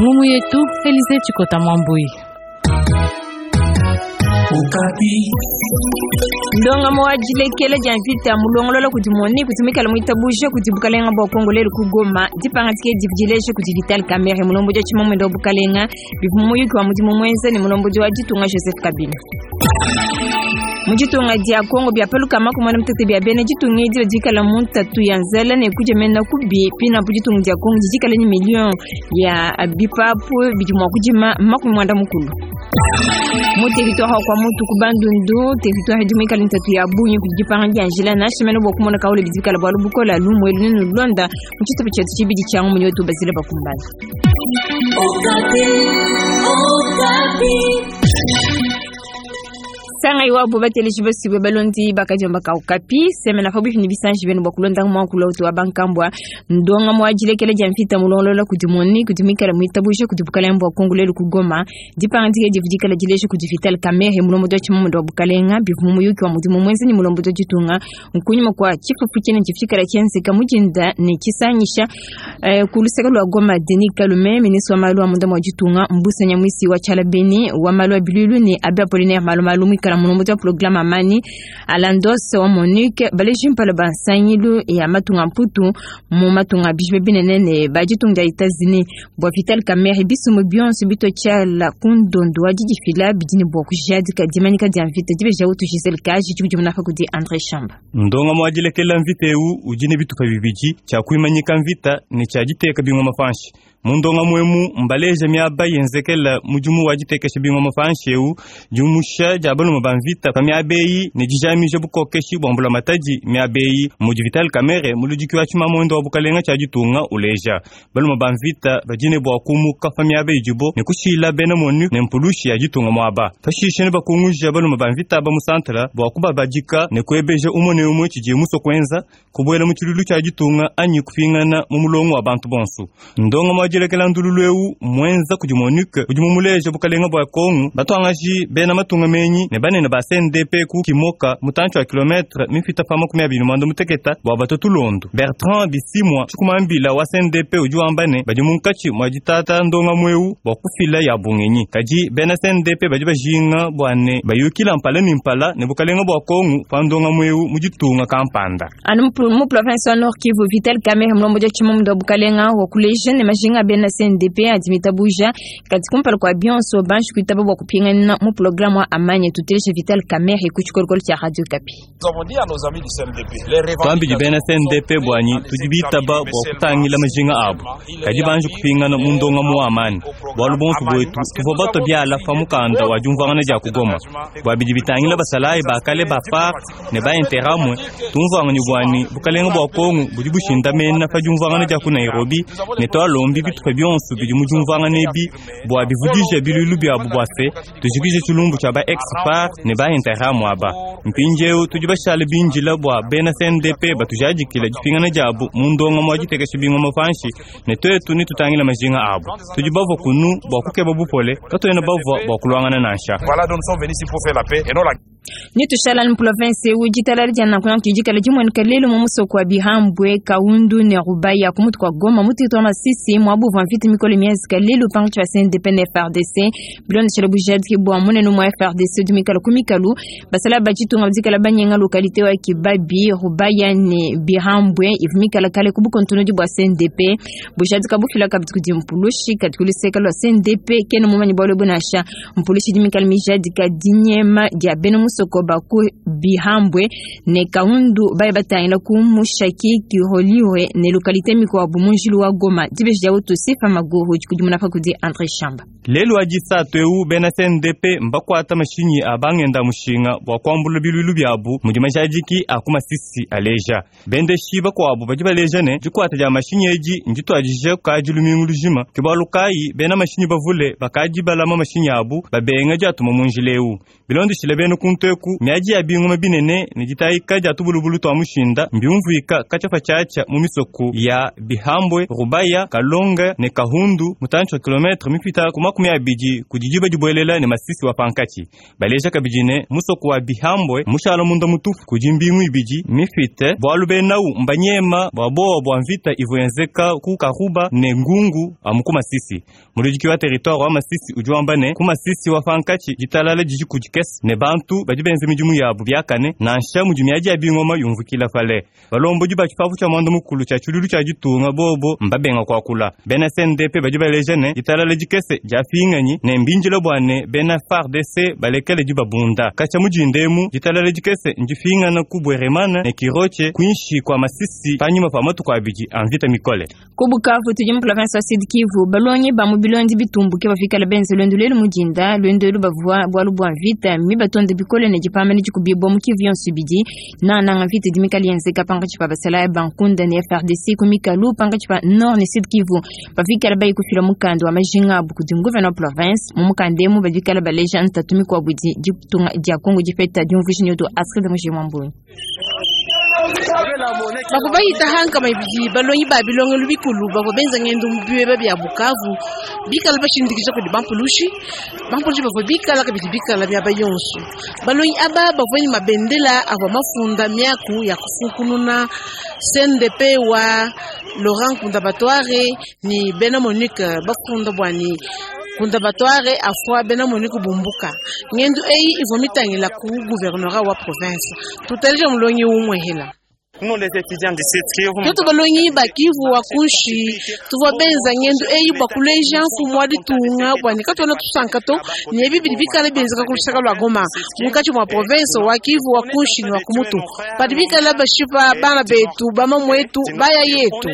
Ngumu yetu Elize Chikota Mwambui. Ndongamu wa dilekela dia mvita mulongolola kudi MONUC udi muikale muitabuje kudi bukalenga bua Kongo lelu ku Goma. Dipangadika edi divua dileja kudi Vital Kamerhe mulombodi wa tshimamuende wa bukalenga bivua mu muyuki wa mudimu muenza ne mulombodi wa ditunga Joseph Kabila. Mu ditunga dia Kongo bia pa lukama ku muanda mutete bia bena ditunga edi badi bikala mu ntatu ya nzala ne kudia mena kubi. Pinapu ditunga dia Kongo didi dikala ne miliyo ya bipapu bidi mua kudima 40. Mu territoire wa Kwamouth ku Bandundu, territoire idi muikale ntatu ya bungi kudi dipanga dia njila nansha mene bua kumona kaule bidi bikala bualu bukola lumu elu nenulonda mu tshitupa tshietu tshibidi tshia ngumu wetu Basile Bakumbala. Sangayi wabo bateleji basibwe balondi bakadiomba ka Okapi semena pabuipi ne bisanji bienu bua kulonda muakulu utu wa bankambua ndonga mua dilekela dia mvita mulongolola kudi MONUC udi muikale muitabuja kudi bukalenga bua Kongo lelu ku Goma. Dipangadika divua dikala dileja kudi Vital Kamerhe mulombodi wa tshimamuende wa bukalenga bivua mu muyuki wa mudimu muenza ne mulombodi wa ditunga nkunyima kua tshifufu tshinene tshivua tshikala tshienzeka mu dinda ne tshisangisha ku luseke lua Goma. Denis Kalume ministre wa malu a munda mua ditunga Mbusa Nyamwisi wa tshiala Beni wa malu a biluilu ne Abbé Apollinaire Malumalu muikala mulombodi wa programme Amani Alandos wa MONUC baleji mpala ba nsangilu ya matunga mputu mu matunga a bijibe binene ne ba ditunga dia Etats-Unis bua Vital Kamerhe bisumbu bionso bitua tshiala ku ndondo wa didifila bidi ne bua kujadika dimanyika dia mvita dibeja utu Giselle Kaji dikudimuna pa kudi Andre Shamba. Ndongamu wa dilekela mvita eu udi ne bitupa bibidi, tshia kuimanyika mvita ne tshia diteka bingoma panshi. Mu ndongamu emu mbaleja miaba yenzekela mudimu wa ditekesha bingoma panshi eu, diumusha dia balume ba mvita pa miaba eyi ne dijamija bukokeshi bua mbulamatadi miaba eyi, mudi Vital Kamerhe muludiki wa tshimamuende wa bukalenga tshia ditunga uleja. Balume ba mvita badi ne bua kumuka pa miaba idibo ne kushila bena MONUC ne mpulushi ya ditunga muaba. Pashishe nebakunguja balume ba mvita aba mu santre bua kubabadika ne kuebeja umue ne umue tshidiye musue kuenza, kubuela mu tshiluilu tshia ditunga anyi kupingana mu mulongo wa bantu bonso. Ndongamu wa dilekela ndululu eu muenza kudi MONUC udi mumuleja bukalenga bua Kongo, batuangaji bena matunga menyi ne banene ba CNDP ku Kimoka mutantshi wa kilometre mipita pa 25 bua batua tulondo. Bertrand Bisimwa tshikumambila wa CNDP udi wamba ne badi munkatshi mua ditata ndongamu eu bua kufila ya bungenyi. Kadi bena CNDP badi bajinga bua ne bayukila mpala ne mpala ne bukalenga bua Kongo pa ndongamu eu mu ditunga kampanda. Anu mu province wa Nord Kivu, Vital Kamerhe mulombodi wa tshimamuende wa bukalenga wa kuleja ne majinga a bena CNDP adi mitabuja kadi kumpala kua bionso banji kuitaba bua kupingana mu programme wa Amani. Tuteleje Vital Kamerhe ku tshikolokolo tshia Radio Okapi. Tuambidi bena CNDP buanyi tudi bitaba bua kutangila majinga abu kadi banji kupingana mu ndongamu wa amani bualu bonso buetu tuvua batua biala pa mukanda wa diumvuangana dia ku Goma bua bidi bitangila basalayi ba kale ba FARC ne ba Interamwe tumvuangane buanyi bukalenga bua Kongo budi bushindamena pa diumvuangana dia ku Nairobi ne tualombi bitupa bionso bidi mu diumvuangana ebi bua bivudije biluilu biabu bua se tujikije tshilumbu tshia ba ex-FARC ne ba Interamwe aba. Mpindieu tudi bashale bindila bua bena CNDP batujadikile dipingana diabu mu ndongamu wa ditekesha bingoma panshi ne tuetu netutangila majinga abu. Tudi bavua kunu bua kukeba bupole, katuena bavua bua kuluangana nansha. Netushala mu province eu ditalala dia nanku nanku dikala dimueneka lelu mu musoko wa Bihambwe, Kaundu ne Rubaya ku mutu kua Goma mu territoire Masisi muabu uvua mvita mikole mienzeka lelu pankatshi pa CNDP ne FARDC bilondeshele bujadiki bua munene mua FARDC udi muikale ku mikalu. Basalayi ba ditunga badi banyenga localité wa Kibabi, Rubaya ne Bihambwe ivua mikale kale ku bukontonodi bua CNDP. Bujadika bufila kabidi kudi mpulushi kadi ku luseke lua CNDP kena mumanye bualu ebu nansha. Mpulushi idi mikale mijadika dinyema dia bena musoko ba ku Bihambwe ne Kaundu baye batangila ku Mushaki, Kiholihwe ne localité mikuabu mu njilu wa Goma. Dibeji dia utu Sifa Maguru dikudimuna pa kudi Andre Shamba. Lelu wa disatu eu bena CNDP mbakuata mashinyi a bangenda mushinga bua kuambula biluilu biabu mudi majadiki a ku Masisi aleja. Bendeshi bakuabu badi baleja ne dikuata dia mashinyi edi ndituadije kukadi lumingu lujima. Ke bualu kayi bena mashinyi bavule bakadi balama mashinyi abu babenga diatuma mu njila eu. Bilondeshile bena kuntu eku miadi ya bingoma binene ne ditayika dia tubulubulu tua mushinda mbiumvuika katshia patshiatshia mu misoko ya Bihambwe, Rubaya, Kalonge ne Kahundu mutantshi wa kilometre mipita ku 20 kudi diba dibuelela ne Masisi wa pankatshi. Baleja kabidi ne musoko wa Bihambwe mushala munda mutupu kudi mbingu ibidi mifite bualu benawu mbanyema bua bowa bua mvita ivua yenzeka ku Karuba ne Ngungu amu ku Masisi. Muludiki wa territoire wa Masisi udi wamba ne ku Masisi wa pankatshi ditalala didi kudikese ne bantu badi benza midimu yabu biakane nansha mudi miadi ya bingoma yumvukila pale. Balombodi ba tshipapu tshia mwanda mukulu tshia tshiluilu tshia ditunga bobo mbabenga kuakula. Bena CNDP badi baleja ne ditalala dikese diapinganyi ne mbindila bua ne bena FARDC balekele dibabunda. Katshia mudinda emu ditalala dikese ndipingana ku Bweremana ne Kirotshe kuinshi kua Masisi panyima pa matuku abidi a mvita mikole. Ku Bukavu tudi mu province wa Sud Kivu, balongi ba mu bilondi bitumbuke bafikala benze luendu lelu mudinda. Luendu elu bavua bualu bua mvita mibatonde bikole ne dipamba ne dikubibua mu Kivu yonso ibidi. Nangananga mvita idi mikale yenzeka pankatshi pa basalayi ba Nkunda ne FARDC ku mikalu pankatshi pa Nord ne Sud Kivu. Bafikala bayi kufila mukanda wa majinga abu kudi nguvena wa province. Mu mukanda emu badikala baleja ntatu mikuabu idi ditunga dia Kongo dipeta. Diumvuija nyoto Astrid Mujimwa Mbunyi. Bavua bayita hankama ibidi balongi ba bilongelu bikulu bavua benza ngendo mu biweba bia Bukavu bikala bashindikija kudi bampulushi. Bampulushi bavua bikala kabidi bikala miaba yonso. Balongi aba bavua ne mabendela avua mafunda miaku ya kufunkununa CNDP wa Laurent Nkunda Batware ne bena MONUC bafunda bua ne Nkunda Batware afua bena MONUC bumbuka. Ngendo eyi ivua mitangila ku gouvernorat wa province. Tuteleje mulongi umue hela. Tuetu balongi ba Kivu wa kunshi tuvua benza ngendo eyi bua kuleja mfumu wa ditunga bua ne katuena tusanka to ne ebi bidi bikala bienzeka ku lusaka lua Goma munkatshi mua province wa Kivu wa kunshi ne wa kumutu padi bikala bashipa bana betu bamamuetu baya yetu.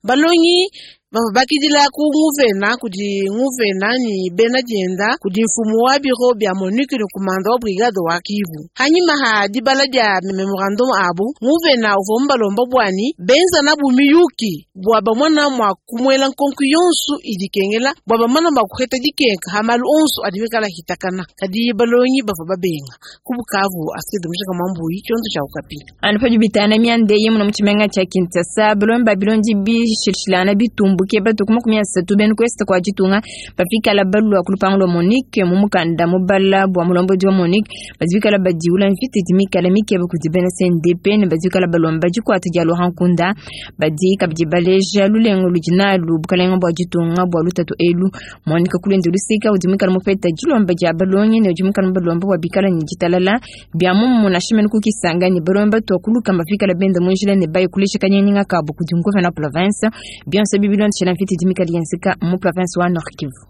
Balongi bavua bakidila ku nguvena kudi nguvena ne bena dienda kudi mfumu wa biro bia MONUC ne kumanda wa brigade wa Kivu. Hanyima ha dibala dia memorandum abu, nguvena uvua mubalomba bua ne benza nabu miyuki bua bamona mua kumuela nkonko yonso idi ikengela bua bamona mua kuheta dikenka ha malu onso adi mikala hitakana. Kadi balongi bavua babenga. Ku Bukavu, Astrid Mushaka Mwambuyi, tshiondo tshia Okapi. Anu padi bitana mianda eyi muna mu tshimenga tshia Kinshasa, balongi ba bilondi bishilshilana bitumbuke batu ku 30 bena ku est kua ditunga bafikala balua ku lupangu lua MONUC. Mu mukanda mubala bua mulombodi wa MONUC badi bikala badiula mvita idi mikale mikeba kudi bena CNDP ne badi bikala balomba dikuata dia Laurent Nkunda. Badi kabidi baleja lulengu ludi nalu bukalenga bua ditunga bua lutatu elu. MONUC ku luende luseka udi muikale mupeta dilomba dia balongi ne udi muikale mubalomba bua bikala ne ditalala bia mumu nansha mene ku Kisangani balomba batua kuluka bafikala benda mu njila ne baye kulesha kanyenga kabu kudi nguvena wa province. Bionso ebi bilondeshela mvita idi mikale yenzeka mu province wa Nord Kivu.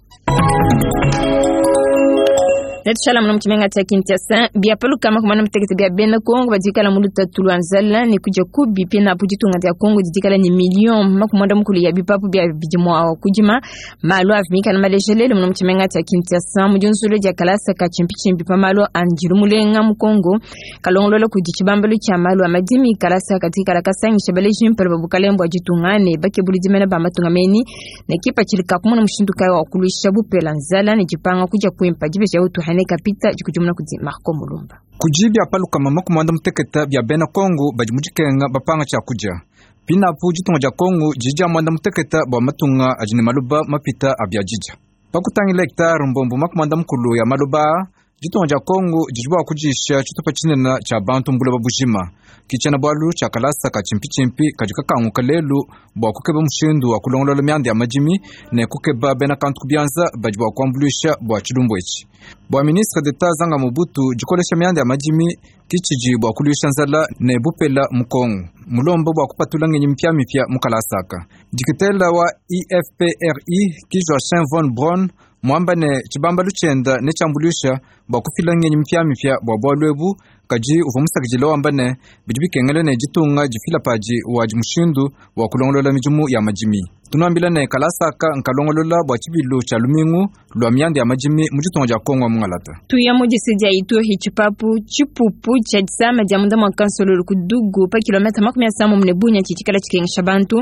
Netushala muno mu tshimenga tshia Kinshasa bia palukama kumana mutekete bia bena Kongo badi bikala mu lutatu lua nzala ne kudia kubi pina apu ditunga dia Kongo didikala ne million 40 ya bipapu bia bidi mua kudima. Malu avi mikala malejelele muno mu tshimenga tshia Kinshasa mu diunzulu dia kalasa ka tshimpitshimpi pa malu a ndilu mulenga mu Kongo kalongolola kudi tshibambalu tshia malu a madimi. Kalasa kadikala kasangisha baleji mpala ba bukalenge bua ditunga ne bakebuli dimena ba matunga meni ne kipatshila ka kumona mushindu kayi wa kuluisha bupela nzala ne dipanga kudia kuimpa dibeja utuhane kapita dikudimuna kudi Marco Mulumba. Kudi bia palukama 60 bia bena Kongo badi mu dikenga bapanga tshia kudia. Pinapu ditunga dia Kongo didi dia 60 bua matunga adi ne maloba mapita a bia didia. Pakutangila hectare mbombo 40 ya maloba, ditunga dia Kongo didi bua kudisha tshitupa tshinene tshia bantu mbuloba bujima. Kitshena bualu tshia kalasa ka tshimpitshimpi kadi kakanguka lelu bua kukeba mushindu wa kulongolola mianda ya madimi ne kukeba bena kantu ku bianza badi bua kuambuluisha bua tshilumbu etshi. Bua ministre d'Etat Zanga Mobutu, dikolesha mianda ya madimi kitshidi bua kuluisha nzala ne bupela mu Kongo. Mulombo bua kupatula ngenyi mipyamipya mu kalasaka. Dikitela wa IFPRI ki Joachim von Braun mwamba ne tshibambalu tshienda ne tshiambuluisha bua kufila ngenyi mipyamipya bua bualu ebu. Kadi uvua musakidile wamba ne bidi bikengela ne ditunga difila padi wadi mushindu wa kulongolola midimu ya madimi. Tunuambila ne kalasaka nkalongolola bua tshibilu tshia lumingu lua mianda ya madimi mu ditunga dia Kongo wa mungalata. Tuya mu disi dia Ituri tshipapu tshipupu tshia disama dia munda mua kansololo ku Dugu pa kilomètre 50 ne Bunia tshitshikala tshikengesha bantu.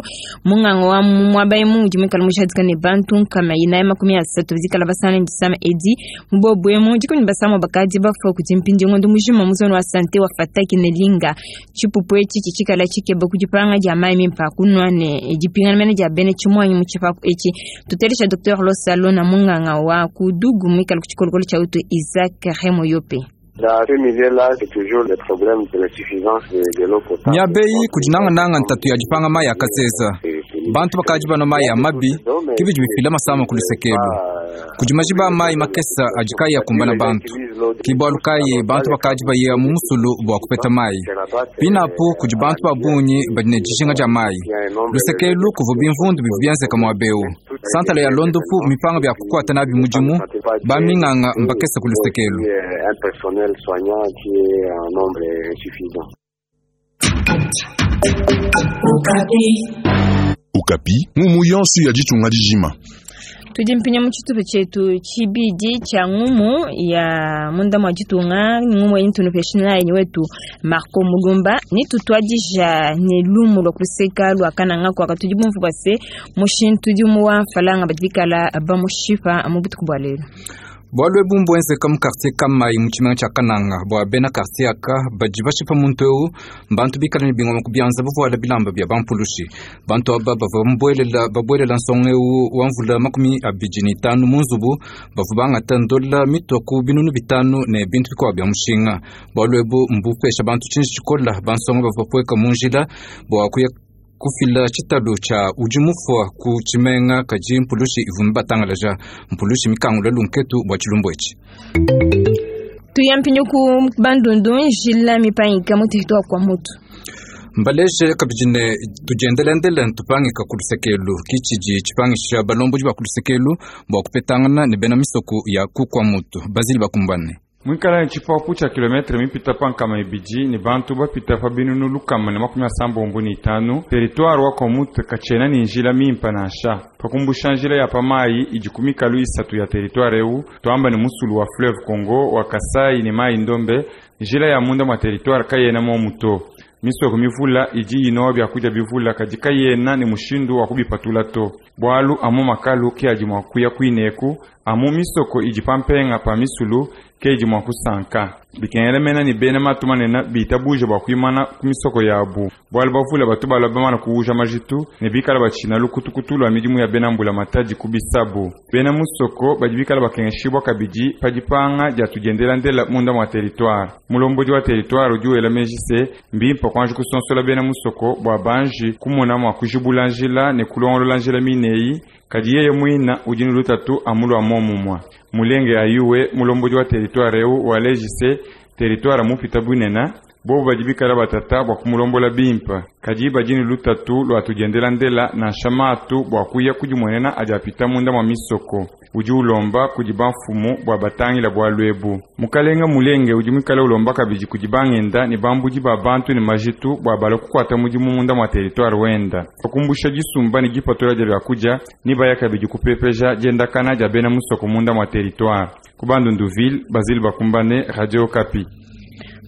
Munganga wa mu muaba emu udi muikale mujadika ne bantu 430 bidikala basana ne disama edi. Mu bobu emu dikumi ne basama bakadi bafua kudi mpindi ngondo mujima mu zone wa sante wa Fataki ne Linga. Tshipupu etshi tshitshikala tshikeba ku dipanga dia mayi mimpe a kunua ne dipingana mene dia bena tshimuangi mu tshipapu etshi. Tutelesha Dr Losalona munganga wa ku Dugu muikale ku tshikolokolo tshia utu Isaac Remoyope. Miaba eyi kudi nangananga ntatu ya dipanga mayi a kasesa. Bantu bakadi banua mayi a mabi, ke bidi bifila masama ku luseke elu. Kudi majiba a mayi makese adi kaayi akumbana bantu. Ke bualu kayi bantu bakadi baya mu musulu bua kupeta mayi. Pinapu kudi bantu ba bungi badi ne dijinga dia mayi. Luseke elu kuvua bimvundu bivua bienzeka muaba eu. Santala ya luondopu mmipanga bia kukuata nabi mudimu, baminganga mbakese ku luseke elu. Okapi, ngumu yonso ya ditunga dijima. Tudi mpinya mu tshitupa tshietu tshibidi tshia ngumu ya munda mua ditunga, ngumu eyi ntunupesha nayi wetu Marco Mulumba. Ne tutuadija ne lumu lua kuseka lua Kananga kuaka tudi bumvu bua se mushintu udi wa mfalanga badi bikala bamushipa mu butuku bua lelu. Bualu ebu mbuenzeka mu quartier Kamayi mu tshimenga tshia Kananga. Bua bena quartier aka badi bashipa muntu eu, mbantu bikale ne bingoma ku bianza bavuala bilamba bia bampulushi. Bantu aba bavua bamubuelela babuelela nsonga eu wa mvula 25 mu nzubu, bavua bangata ndola mitua ku 5000 ne bintu bikuabu bia mushinga. Bualu ebu mbupesha bantu tshinji tshikola, bansonga bavua bapueka mu njila bua kuya kufila tshitalu tshia udi mufua ku tshimenga, kadi mpulushi ivua mibatangalaja. Mpulushi mikangula lunketu bua tshilumbu etshi. Tuya mpindieu ku Bandundu, njila mipangika mu territoire kwa mutu. Mbaleje kabidi ne tudiendelendele ntupangika ku lusekelu ki tshidi tshipangisha balombodi ba ku lusekelu bua kupetangana ne bena misoko ya ku kwa mutu bazili bakumbane. Muikala ne tshipapu tshia kilometre mipita pa 200 ne bantu bapita pa 165,000, territoire wa Kwamouth katshiena ne njila mimpe nansha. Pa kumbusha njila ya pa mayi idi ku mikalu isatu ya territoire eu, tuamba ne musulu wa fleuve Congo, wa Kasai ne mayi Ndombe, njila ya munda mua territoire kayena momu to. Misoko mivula idi inowa biakudia bivula kadi kayena ne mushindu wa kubipatula to. Bualu amu makalu ke adi mua kuya kuineku, amu misoko idi pa mpenga pa misulu ke idi mua kusanka. Bikengela mena ne bena matu manene bitabuje bua kuimana ku misoko yabu. Bualu bavula batu balua bamana kuuja majitu ne bikala batshina lukutukutu lua midimu ya bena mbulamatadi ku bisabu. Bena musoko badi bikala bakengeshibua kabidi pa dipanga dia tudiendelandela munda mua territoire. Mulombodi wa territoire udi wela meji se mbimpe kuanji kusonsola bena musoko bua banji kumona mua kujibula njila ne kulongolola njila mineyi, kadi yeye muina udi ne lutatu amu lua momumua. Mulenge ayuwe mulombodi wa territoire eu waleji se territoire mupita bunene, bobu badi bikala batata bua kumulombola bimpe, kadi badi ne lutatu lua tudiendelandela nansha matu bua kuya kudimuenena adi apita munda mua misoko. Udi ulomba kudi bamfumu bua batangila bualu ebu. Mukalenga Mulenge udi muikale ulomba kabidi kudi bangenda ne bambudi ba bantu ne majitu bua balue kukuata mudimu munda mua territoire wenda. Pa kumbusha disumba ne dipatula dia biakudia, ne baya kabidi kupepeja diendakana dia bena musoko munda mua territoire. Ku Bandunduville, Basile Bakumbane, Radio Okapi.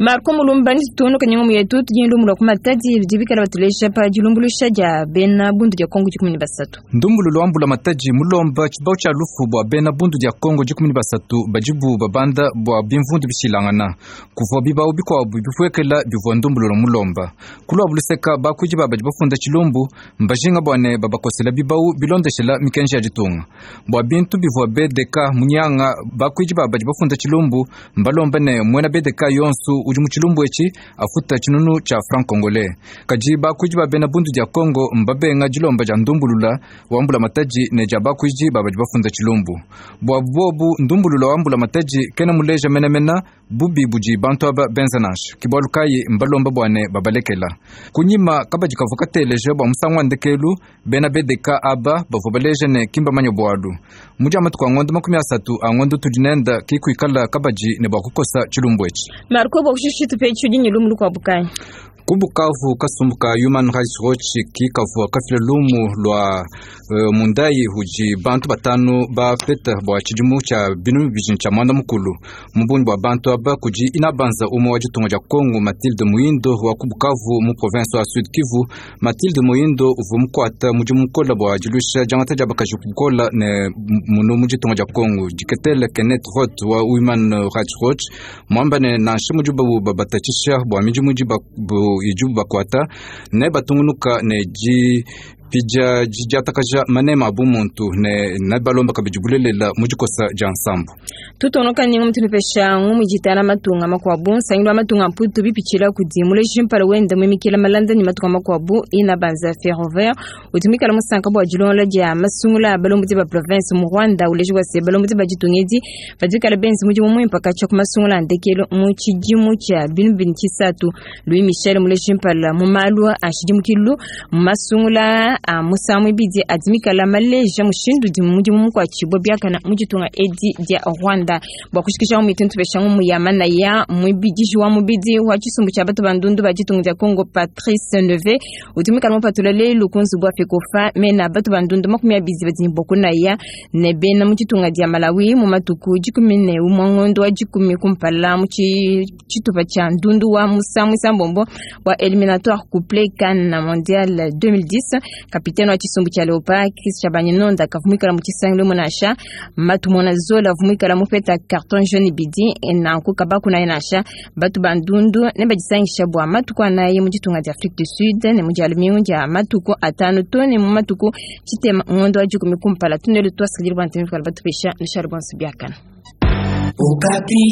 Marco Mulumba ni tutono kanyinga muyetu tudi lumu lwa kumatadi bidi bikala batuleja pa dilumbuluisha dia bena bundu dia Kongo 13. Ndumbulu lwa mbula matadi mulomba tshibau tshia lufu bua bena bundu dia Kongo 13 badibu babanda bua bimvundu bishilangana. Kuvua bibau bikuabu bipuekela bivua ndumbulu lwa mulomba. Kulua buluseka bakuidi babadi bafunda tshilumbu mbajinga bua ne babakosela bibau bilondeshela mikenji ya ditunga. Bua bintu bivua BDK munyanga bakuidi babadi bafunda tshilumbu mbalomba ne muena BDK yonsu udi mu tshilumbu etshi afuta tshinunu tshia franc congolais. Kadi bakuidi ba bena bundu dia Kongo mbabenga dilomba dia ndumbulula wa mbula matadi ne dia bakuidi babadi bafunda tshilumbu. Bua bobu ndumbulula wa mbula matadi kena muleja menemena bubi budi bantu aba benza nansha. Kibualu kayi mbalomba bua ne babalekela. Kunyima kabadi kavua kateleja bua musangu wa ndekelu bena BDK aba bavua baleja ne kimbamanya bualu. Mu dia matuku a ngondo 30 a ngondo tudi nenda kikuikala kabadi ne bua kukosa tshilumbu etshi. Marco bua kushisha tupe tshidi ne lumu lukuabu kayi? Ku Bukavu kasumbu ka Human Rights Watch ki kavua kafila lumu lua mundayi udi bantu batanu bapeta bua tshidimu tshia 2019. Mu bungi bua bantu aba kudi inabanza umue wa ditunga dia Kongo Mathilde Muindo wa ku Bukavu mu province wa Sud Kivu. Mathilde Muindo uvua mukuata mudimu mukola bua diluisha diangata dia bakaji kukola ne munu mu ditunga dia Kongo. Diketele Kenneth Roth wa Human Rights Watch muamba ne nansha mudibu bikalabu babatatshisha bua midimu idibu bakuata ne batungunuka ne dipidia didiatakaja manema a bumuntu ne nebalomba kabidi bulelela mu dikosa dia nsambu. Tutonoka ninga mutunupesha ngumu jitala matunga makwabu nsangilu wa matunga mputu bipitshila kudi muleji mpala wenda mwimikila malanda ni matunga makwabu ina banza ferroviaire utumikala musanka bua dilongola dia masungula balombodi ba province mu Rwanda uleji wa se balombodi ba ditungedi badikala benzi mudimu muimpa katshia ku masungula a ndekelo mu tshidimu tshia binu bini tshisatu. Louis Michel muleji mpala mu malu a tshidimukilu mu masungula a musangu ibidi adimikala maleja mushindu udi mudimu mukuatshibua biakana mu ditunga edi dia Rwanda. Bua kushikisha mu mituntu pesha ngumu ya manaya mwibidiji wa mubidi wa tshisumbu tshia batu bandundu ba ditunga dia Congo Patrice Neve utumikala mupatula lelu ku nzubu wa FECOFA mena batu bandundu 20 badi ne bua kunaya ne bena mu ditunga dia Malawi mu matuku 11 mwangondo wa 10 kumpala mu tshitupa tshia ndundu wa musangu isambombo wa éliminatoire couplé CAN mondial 2010. Kapitene wa tshisumbu tshia Leopard Chris Chabanyinonda kavumikala mu tshisangilo munasha matumona zola vumikala mupeta carton jaune bidi nanku kabaku naye nasha batu bandundu ne badisangisha bua matuku anaye mu ditunga dia Afrique du Sud ne mu dia lumingu dia matuku atanu to ne mu matuku tshitema ngondo wa 10 kumpala tunelu twasikidile bua ntemi kala batupesha nishari bonso biakana. Okapi.